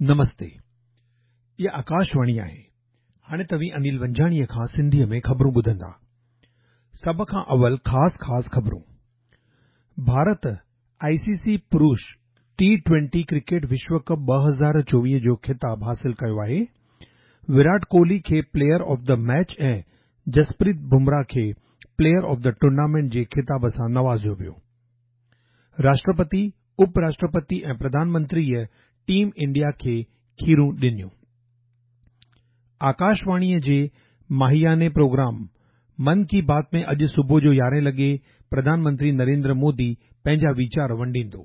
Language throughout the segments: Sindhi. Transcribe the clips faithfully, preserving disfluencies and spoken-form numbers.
نمستي. اها آڪاشواڻي آهي. هاڻي توهين انيل ونجاڻيء کان سنڌيء ۾ خبرون ٻڌندا. سڀ کان اول خاص خاص خبرون. ڀارت آء سي سي پرش ٽي ٽوئنٽي ڪرڪيٽ وشو ڪپ ٻه هزار چوويهه جو خطاب حاصل ڪيو آهي. ويرات ڪوهلي کي player of the match ۽ Jasprit Bumrah کي پليئر آف the tournament جي خطاب سان نوازيو ويو. راشٽرپتي، اپ راشٽرپتي ۽ پرڌان منتريء ٽيم انڊيا کي کيرون ڏنيون. آڪاشواڻيء جي ماهياني پروگرام من ڪي بات ۾ اڄ صبح جو يارهين لڳي پرڌان منتري نريندر مودي پنهنجا ويچار ونڊيندو.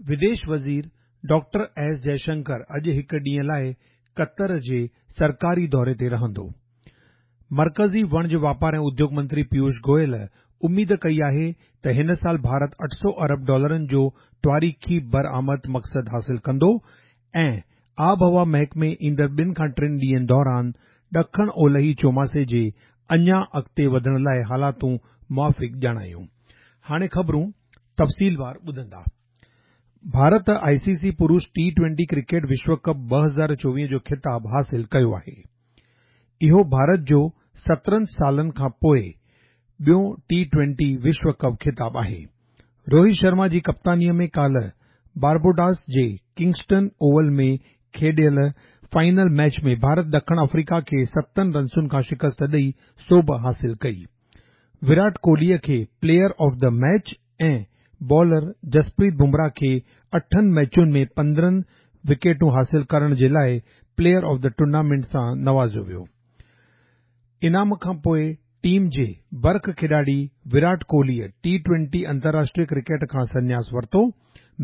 وديش وزير ڊاڪٽر ايس جئشنڪر اڄ هڪ ڏينهن لاءِ قطر جي سرڪاري دوري تي رهندو. مرڪزي وڻج واپار ۽ اديوگ منتري پيوش گويل اميد ڪئي آهي ته هن سال ڀارت اٺ سؤ ارب ڊالرن جو تواريخي برآمد مقصد حاصل ڪندو ۽ آبهوا محڪمي ايندڙ ٻن کان ٽن ڏينهن دوران ڏکڻ اولهي چوماسي جي اڃا اڳتي وڌڻ لاءِ حالاتون موافق ڄاڻايون. هاڻي خبرون تفصيلوار ٻڌندا. ڀارت آء سي سي پرش ٽي ٽوئنٽي ڪرڪيٽ وشو ڪپ ٻه هزار چوويهه جو خطاب حاصل ڪيو آهي. اهو ڀارت جو سترهن سالن کان پوءِ ٻيون ٽي ٽوئنٽي وشو ڪپ خطاب آهي. روهت شرما جي ڪپتانيءَ ۾ ڪالهه بارباڊوس جي ڪنگسٽن اوول ۾ کيڏيل فائنل ميچ ۾ ڀارت ڏکڻ آفريڪا کي ستن رنسن کان شڪست ڏئي سوڀ حاصل ڪئي. ويرات ڪوهليء کي player of the match ۽ bowler Jasprit Bumrah کي اٺن ميچن ۾ پندرهن وڪيٽون حاصل ڪرڻ جي لاءِ پليئر آف the tournament سان نوازيو ويو. انعام کان پوءِ ٽيم جي برک کيڏاڙي ويرات ڪوهليء ٽي ٽوئنٽي انترراشٽريه ڪرڪيٽ کان سنياس ورتو.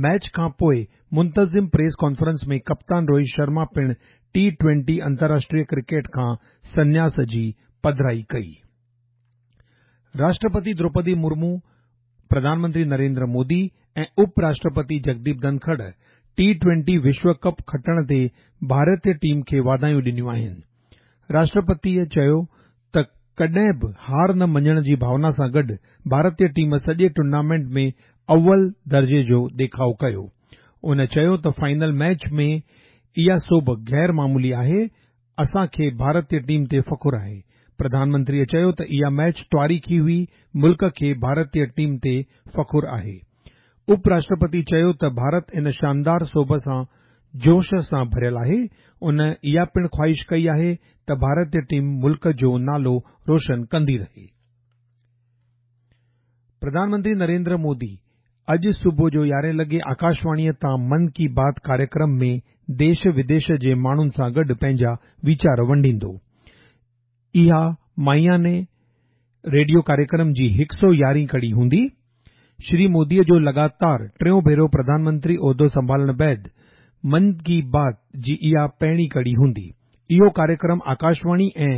ميچ کان پوءِ منتظم پريس ڪانفرنس ۾ ڪپتان روهت شرما پڻ ٽي ٽوئنٽي انترراشٽريه ڪرڪيٽ کان سنياس جي پڌرائي ڪئي. راشٽرپتي دروپدي مرمو، پرڌان منتري نريندر مودي ۽ اپ راشٽرپتي جگديپ ڌنکڙ ٽي ٽوئنٽي وشو ڪپ کٽڻ تي ڀارتي ٽيم کي واڌايون ڏنيون آهن. راشٽرپتيء چيو ته ڪڏهن به هار نه مڃڻ جي ڀاونا سان گڏ ڀارتي ٽيم سڄي ٽورنامينٽ ۾ اول درجي جو ڏيکاءُ ڪيو. ان چيو ته فائنل ميچ ۾ اها سوڀ غير معمولي آهي، اسان کي ڀارتي ٽيم تي فخر آهي. پرڌان منتريء چيو ته اها ميچ تواريخي هئي، ملڪ کي ڀارتي ٽيم تي فخر آهي. اپ راشٽرپتي چيو ته ڀارت ان شاندار سوڀ سان جوش سان ڀريل آهي. ان اها پڻ خواهش ڪئي آهي ته ڀارتي ٽيم ملڪ جو نالو روشن ڪندي رهي. پرڌان منتري نريندر مودي اڄ صبح جو يارهين لڳي آڪاشواڻيءَ تان من ڪي بات ڪاريڪرم ۾ ديش وديش جي ماڻهن سان گڏ پنهنجا ويچار ونڊيندو. اها ماهياني ريڊيو ڪاريڪرم جي هڪ سؤ يارهين ڪڙي هوندي. شري موديءَ جو لڳاتار ٽيون ڀيرو پرڌان منتري عهدو سنڀالڻ بعد من ڪي بات جي اها پهرين ڪڙي هوندي. اهو ڪاريڪرم آڪاشواڻي ۽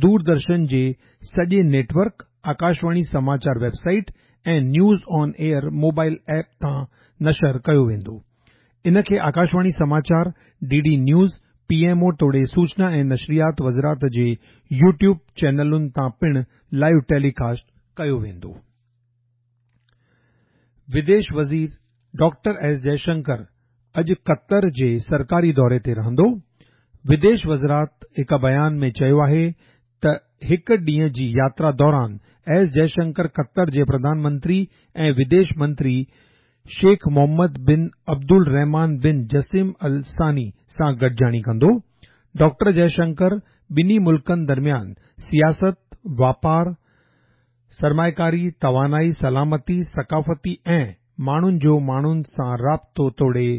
دوردرشن جي سڄي net work, Akashvani Samachar web site ۽ news on air mobile app تان نشر ڪيو ويندو. ان کي آڪاشواڻي سماچار، D D news, P M O توڙي سوچنا ۽ نشريات وزارت جي يوٽيوب چينلن تان پڻ لائيو ٽيليڪاسٽ ڪيو ويندو. وديش وزير ڊاڪٽر ايس جئشنڪر اڄ قطر جي سرڪاري دوري تي رهندو. وديش وزارت هڪ بيان ۾ چيو آهي ته هڪ ڏينهن جي ياترا دوران ايس جئشنڪر قطر جي پرڌان منتري ۽ وديش منتري شيخ محمد بن عبدالرحمان بن جسيم ال ثاني سان گڏجاڻي ڪندو. ڊاڪٽر جئشنڪر ٻنهي ملڪن درميان سياست، واپار، سرمائيڪاري، توانائي، سلامتي، ثقافتي ۽ ماڻهن جو ماڻهن سان رابطو توڙي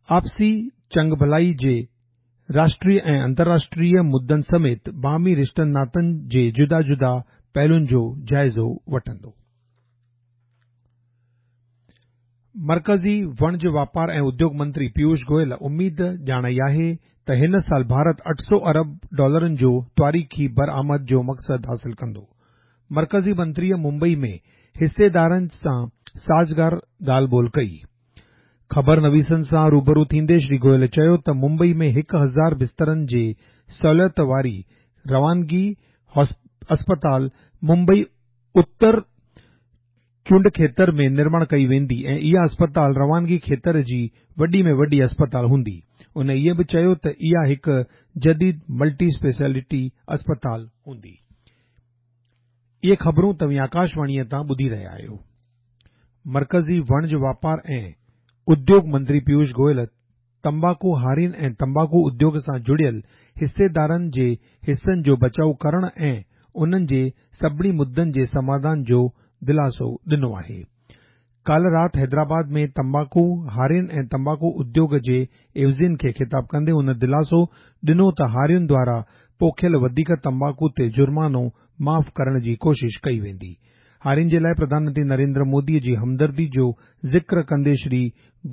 آپسي چڱڀلائي جي راشٽريه ۽ انترراشٽريه مدن سميت باهمي رشتن ناتن جي جدا جدا پهلوئن جو جائزو وٺندو. مرڪزي وڻج واپار ۽ اديوگ منتري پيوش گويل اميد ڄاڻائي آهي ته هن سال ڀارت اٺ سؤ ارب ڊالرن جو تواريخي برآمد جو مقصد حاصل ڪندو. مرڪزي منتريءَ ممبئي ۾ حصيدارن سان سازگار ڳالهه ٻولهه ڪئي. خبر نويسن سان روبرو ٿيندي شري گويل چيو ته ممبئي ۾ هڪ هزار بسترن جي سهوليت واري روانگي اسپتال ممبئي اتر چونڊ کيتر ۾ نرماڻ ڪئي ويندي ۽ اها اسپتال روانگي کيتر جي وڏي ۾ وڏي اسپتال هوندي. ان اهو به چيو ته اها هڪ جديد ملٽي اسپيشلٽي اسپتال هوندي. اهي خبرون توهين آڪاشواڻيء تان ٻڌي رهيا آهيو. مرڪزي وڻج واپار ۽ اديوگ منتري پيوش گويل تمباڪو هارين ۽ تمباڪو اديوگ سان جڙيل حصيدارن جي حصن جو بچاءُ ڪرڻ ۽ انهن جي سڀني مدعن جي سماڌان جو دلاسو ڏنو آهي. ڪالهه رات حيدرآباد ۾ تمباڪو هارين ۽ تمباڪو اديوگ جي عيوضين کي خطاب ڪندي هن دلاسو ڏنو ته هارين دوارا پوکيل وڌيڪ تمباڪو تي جرمانو معاف ڪرڻ جي ڪوشش ڪئي ويندي. هارين جي لاءِ پرڌان منتري نريندر مودي جي همدردي جو ذڪر ڪندي شري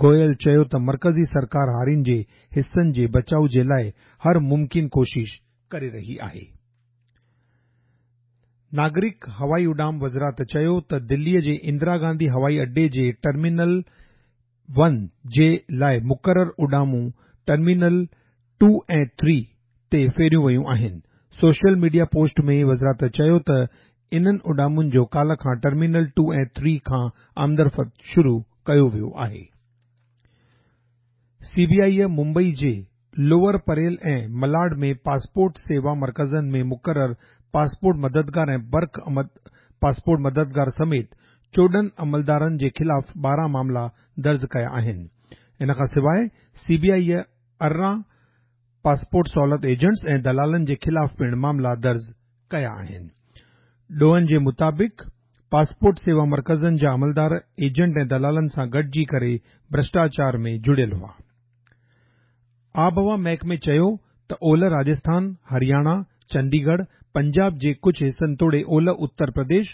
گويل چيو ته مرڪزي سرڪار هارين جي حصن جي بچاءُ جي لاءِ هر ممڪن ڪوشش ڪري رهي آهي. ناگرڪ هوائي اڏام وزارت چيو ته دليءَ جي اندرا گانڌي هوائي اڏي جي ٽرمينل ون جي لاءِ مقرر اڏامون ٽرمينل ٽو ۽ ٿري تي ڦيريون ويون آهن. سوشل ميڊيا پوسٽ ۾ وزارت چيو ته انهن اڏامن جو ڪالهه کان ٽرمينل ٽو ۽ ٿري کان آمدرفت شروع ڪيو ويو آهي. سي بي آئي ممبئي جي لوئر پريل ۽ ملاڊ ۾ پاسپورٽ سيوا مرڪزن ۾ مقرر پاسپورٽ مددگار ۽ برک پاسپورٽ مددگار سميت چوڏهن عملدارن جي خلاف ٻارهن معاملا درج ڪيا آهن. ان کان سواءِ سي بي آئي ارڙهن پاسپورٽ سهولت ايجنٽس ۽ دلالن جي خلاف پڻ معاملا درج ڪيا آهن. ڏوهن جي مطابق پاسپورٽ سيوا مرڪزن جا عملدار ايجنٽ ۽ دلالن سان گڏجي ڪري ڀرشٽاچار ۾ جڙيل هئا. آبهوا محڪمي چيو ته اولهه راجسٿان، هرياڻا، چنديڳڙهه، پنجاب جي ڪجهه حصن توڙي اولهه اتر پرديش،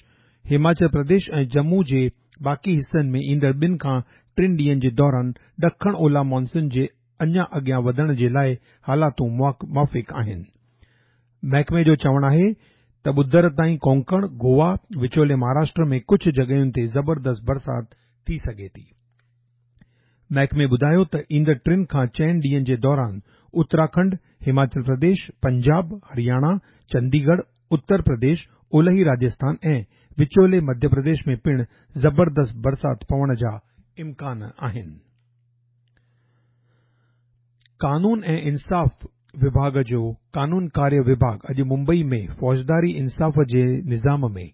هماچل پرديش ۽ ڄمون جي باقي حصن ۾ ايندڙ ٻن کان ٽن ڏينهن جي دوران ڏکڻ اولهه مانسون جي اڃا اڳيان وڌڻ جي لاءِ حالاتون موافق آهن. محڪمي جو چوڻ آهي ته ٻڌر تائين ڪونڪڻ، گوا، وچولي مهاراشٽر ۾ ڪجهه جڳهين تي زبردست برسات ٿي سگهي ٿي. محڪمي ٻڌايو ته ايندڙ ٽن کان چئن ڏينهن جي دوران اتراکنڊ، هماچل پرديش، پنجاب، هرياڻا، چنديڳڙهه، اتر پرديش، اولهي راجسٿان ۽ وچولي مڌيه پرديش ۾ پڻ زبردست برسات پوڻ جا امڪان آهن. قانون ۽ انصاف وڀاڳ جو قانون ڪاريه وڀاڳ اڄ ممبئي ۾ فوجداري انصاف جي نظام ۾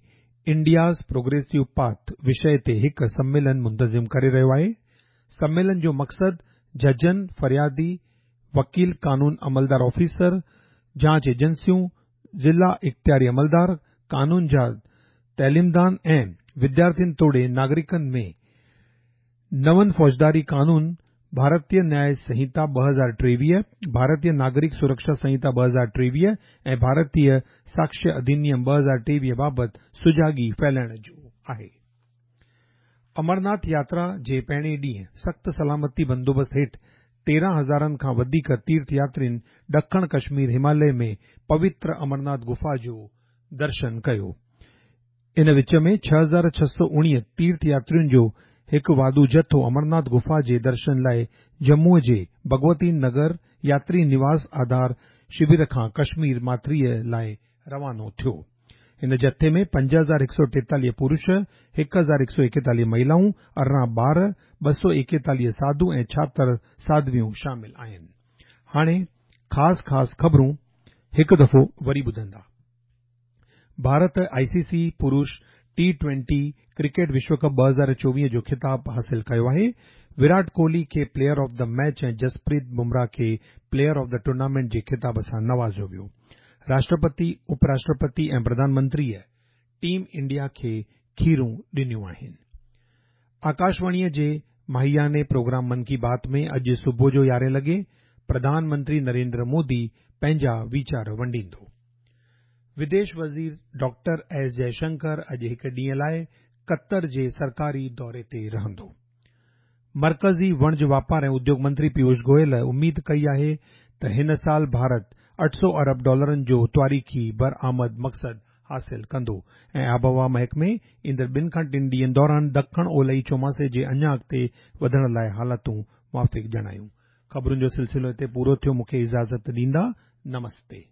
انڊياز پروگريسو پاٿ وشي تي هڪ سميلن منتظم ڪري رهيو آهي. سميلن جو مقصد ججن، فريادي، وڪيل، قانون عملدار آفيسر، جاچ ايجنسيون، ضلع اختياري عملدار، قانون جا تعليمدان ۽ وديارٿين توڙي ناگرڪن ۾ نون فوجداري قانون ڀارتيه نياءِ سنهتا ٻه هزار ٽيويهه، ڀارتيه ناگرڪ سرڪشا سنهتا ٻه هزار ٽيويهه ۽ ڀارتيه ساڪشيه اڌنيم ٻه هزار ٽيويهه بابت سجاڳي ڦهلائڻ جو آهي. امرناٿ ياترا جي پهرين ڏينهن سخت سلامتي بندوبست هيٺ تيرهن هزارن کان وڌيڪ تيرٿ ياترين ڏکڻ ڪشمير هماليه ۾ پوتر امرناٿ گفا جو درشن ڪيو. ان وچ ۾ ڇهه هزار ڇهه سؤ اڻويهه تيرٿ ياترين جو هڪ واڌو جٿو امرناٿ گفا جي درشن لاءِ ڄمون جي ڀڳونتي نگر ياتري نواس آڌار شور کان ڪشمير ماٿريءَ لاءِ روانو ٿيو. هن جٿي ۾ پنج هزار هڪ سؤ ٽيتاليهه پرش، هڪ هزار هڪ سؤ ايڪيتاليهه مهلائون، ارڙهن ٻار، ٻه سؤ ايڪيتاليهه ساڌو ۽ ڇاهتر ساڌويون شامل آهن. هاڻي خاص خاص خبرون هڪ دفعو وري ٻڌندا. ڀارت آئي سي سي پرش ٽي ٽوئنٽي ڪرڪيٽ وشو ڪپ ٻه هزار چوويهه جو خطاب حاصل ڪيو آهي. ويرات ڪوهلي کي player of the match ۽ Jasprit Bumrah کي پليئر آف the tournament جي خطاب سان نوازيو ويو. راشٽرپتي، اپراشٽرپتي ۽ پرڌان منتريءَ ٽيم انڊيا کي کيرون ڏنيون آهن. آڪاشواڻيءَ جي ماهياني پروگرام من ڪي بات ۾ اڄ صبح جو يارهين لڳي پرڌان منتري نريندر مودي پنهنجا ويچار ونڊيندو. وديش وزير ڊاڪٽر ايس جئشنڪر اڄ هڪ ڏينهن لاءِ قطر جي سرڪاري دوري تي رهندو. مرڪزي وڻج واپار ۽ اديوگ منتري پيوش گويل اميد ڪئي آهي ته هن سال ڀارت اٺ سؤ ارب ڊالرن جو تاريخي برآمد مقصد حاصل ڪندو ۽ آبهوا محڪمي ايندڙ ٻن کان ٽن ڏينهن دوران ڏکڻ اولهي چوماسي جي اڃا اڳتي وڌڻ لاءِ حالتون موافق ڄاڻايون. خبرن جو سلسلو هتي پورو ٿيو. مون کي اجازت ڏيندا. نمستي.